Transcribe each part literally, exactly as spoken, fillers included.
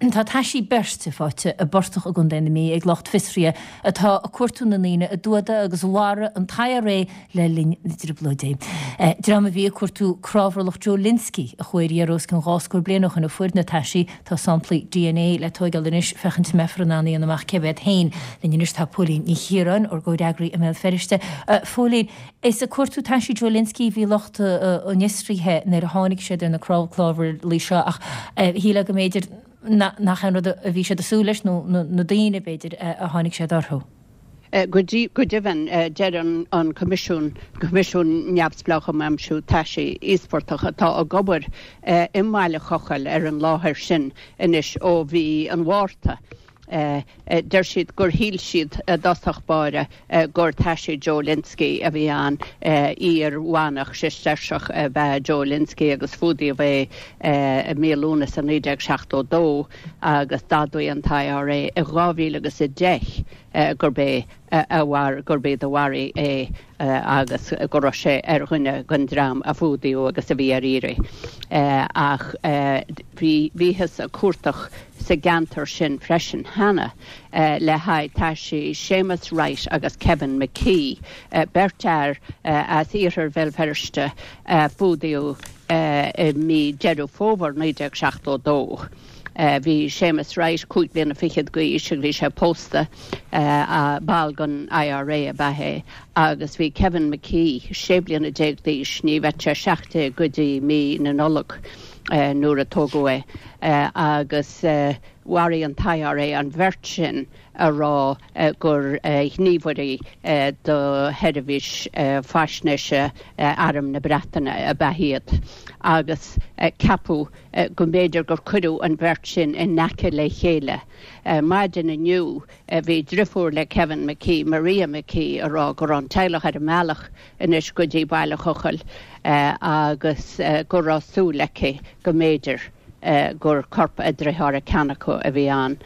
Tá taisí beirte faighte i bportach i gContae na Mí ag lucht fiosraithe atá ag cuartú na ndaoine a d'fhuadaigh agus a mharaigh an t-I R A le linn na dTrioblóidí. Dream a bhí ag cuartú cnámharlach Joe Lynskey a chuaigh ar iarraidh os cionn dhá scór bliain ó shin a fuair na taisí. Tá samplaí D N A le tóigeáil anois féachaint an mbeifear in ann a dhéanamh amach cé hiad féin. Linn anois tá Póilín Ní Chiaráin, ár gcomhfhreagraí i mBéal Feirste. Phóilín, is ag cuartú taisí Joe Lynskey a bhí lucht an fhiosraithe nuair a tháinig siad ar na cnámharlaigh seo, ach shílfeá go mb'fhéidir nach an rud a bhí siad ag súil leis nó na daoine, b'fhéidir, a tháinig siad orthu. Go deimhin, deir an Coimisiún, Coimisiún Neamhspleách um Aimsiú Taisí Íospartach, atá ag obair i mBaile Chochaill ar an láthair sin anois ó mhí an Mhárta, deir siad gur shíl siad i dtosach báire gur taisí Joe Lynskey a bhí ann. Iar-mhanach Sisteirseach ab ea Joe Lynskey agus fuadaíodh é i mí Lúnasa naoi déag seachtó dó, agus d'admhaigh an t-I R A i dhá mhíle agus a deich gurb é a mhar gurb iad a mharaigh é agus go raibh sé ar dhuine den dream a fuadaíodh agus a bhí ar iarraidh. Ach bhí bhíothas ag cuardach sa gceantar sin freisin cheana le haghaidh taisí Séamus Wright agus Kevin McKee, beirt fhear as iarthar Bhéal Feirste a fuadaíodh i mí Deireadh Fómhair naoi déag seachtó dó. Bhí Séamus Wright cúig bliana fichead d'aois agus bhí sé pósta, ball den I R A ab ea é, agus bhí Kevin McKee sé bliana déag d'aois, ní bheadh sé seacht déag go dtí mí na Nollag nuair a tógadh é, agus mharaigh an t-I R A an bheirt sin ag rá gur ghníomhairí do sheirbhís faisnéise Arm na Breataine ab ea iad, agus ceapadh go mb'fhéidir gur cuireadh an bheirt sin in aice le chéile. Maidin inniu bhí deirfiúr le Kevin McKee, Maria McKee, ag rá go raibh an teaghlach ar an mbealach anois go dtí Baile Chochaill agus go raibh súil aici go mb'fhéidir gur corp a dearthára, ceann acu, a bhí ann,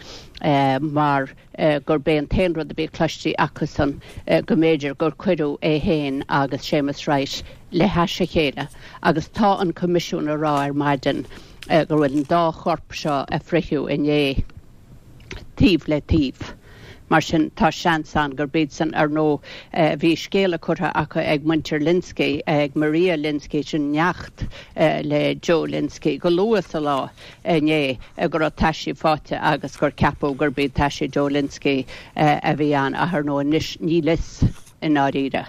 mar gurb é an t-aon rud a bhí cloiste acusan go mb'fhéidir gur cuireadh é féin agus Séamus Wright le hais a chéile. Agus tá an Coimisiún ag rá ar maidin go bhfuil an dá chorp seo a fritheadh inné taobh le taobh. Mar sin tá seans ann gurb iad san. Ar ndóigh, bhí scéala curtha acu ag muintir Lynskey, ag Maria Lynskey, sin neacht le Joe Lynskey, go luath sa lá inné go raibh taisí faighte agus gur ceapadh gurb iad taisí Joe Lynskey a bhí ann, ach ar ndóigh anois níl a fhios i ndáiríre.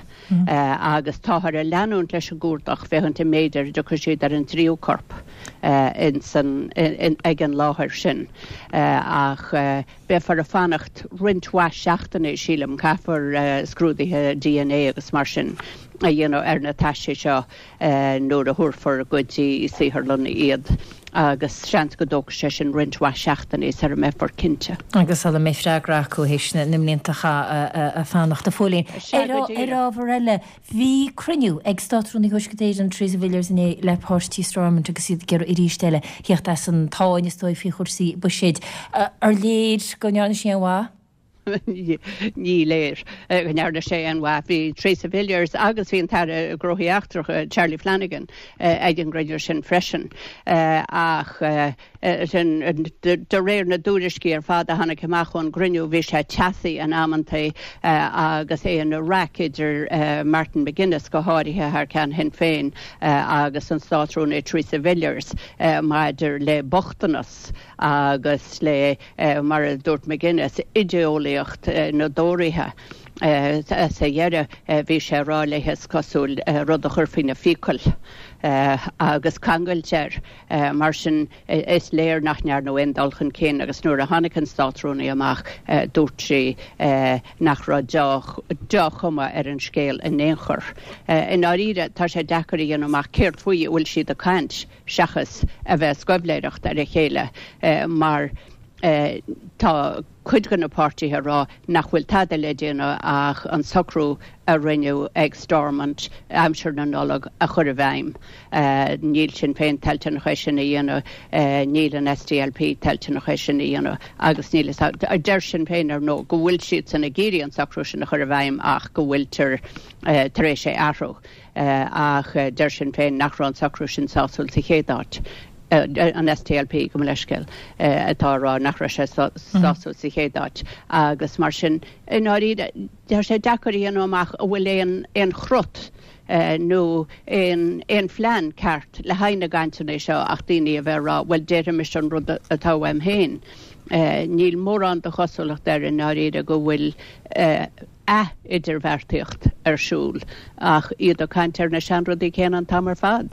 Agus táthar ag leanúint leis an gcuardach féachaint an mb'fhéidir go dtiocfaidh siad ar an tríú corp insan ag an láthair sin, ach beifear ag fanacht roinnt mhaith seachtainí, sílim. Caithfear scrúduithe D N A agus mar sin a dhéanamh ar na taisí seo nuair a thabharfar go dtí saotharlann iad, agus seans go dtógfaidh sé sin roinnt mhaith seachtainí sara mbeifear cinnte. Agus sula mbeidh freagra acu théis na mblianta a fanacht. A Phóilín, ar ábhar eile, bhí cruinniú ag Státrúnaí Thuaisceart Éireann Theresa Villiers inné le páirtí Stormont agus iad ag iarraidh arís eile theacht as an tsáinn, is dóigh, faoi chúrsaí buiséid. Ar léir go ndearna sí aon mhaith? Ní léir go ndearna sé aon mhaith. Bhí Theresa Villiers agus bhí an tAire Gnóthaí Eachtracha Charlie Flanagan ag an gcruinniú sin freisin, ach sin de réir na dtuairiscí ar fad a tháinig amach ón gcruinniú, bhí sé teasaí in amantaí agus é ina raic idir Martin McGuinness, go háirithe thar ceann Shinn Féin, agus an Státrúnaí Theresa Villiers maidir le bochtanas agus le, mar a dúirt McGuinness, idéolaíocht na dTóraithe. Sa dheireadh bhí sé ag rá léi, is cosúil, rud a chur faoina fiacail agus cangailt air. Mar sin is léir nach ndearnadh aon dul chun cinn, agus nuair a tháinig an Státrúnaí amach dúirt sí nach raibh dea-chuma ar an scéal in aon chor. I ndáiríre, tá sé deacair a dhéanamh amach céard faoi a bhfuil siad ag caint seachas a bheith ag sceimhlitheoireacht ar a chéile, mar tá cuid de na páirtithe ag rá nach bhfuil tada le déanamh ach an socrú a rinneadh ag Stormont aimsir na Nollag a chur i bhfeidhm. Níl Sinn Féin toilteanach é sin a dhéanamh, níl an S D L P toilteanach é sin a dhéanamh, agus níl, deir Sinn Féin ar ndóigh go bhfuil siad san ag iarraidh an socrú sin a chur i bhfeidhm ach go bhfuiltear tar éis é athrú. Ach deir Sinn Féin nach raibh an socrú sin sásúil sa chéad áit. An S D L P, gabh mo leithscéal, atá ag rá nach raibh sé sásúil sa chéad áit agus mar sin i ndáiríre tá sé deacair a dhéanamh amach an bhfuil aon aon chrot nó aon aon phlean ceart le haghaidh na gcainteanna seo ach daoine a bheith ag rá, bhuel, déarfaimis an rud atá uaim féin. Níl mórán de chosúlacht air i ndáiríre go bhfuil ath-idirbheartaíocht ar siúl ach iad ag caint ar na seanrudaí céanna an t-am ar fad.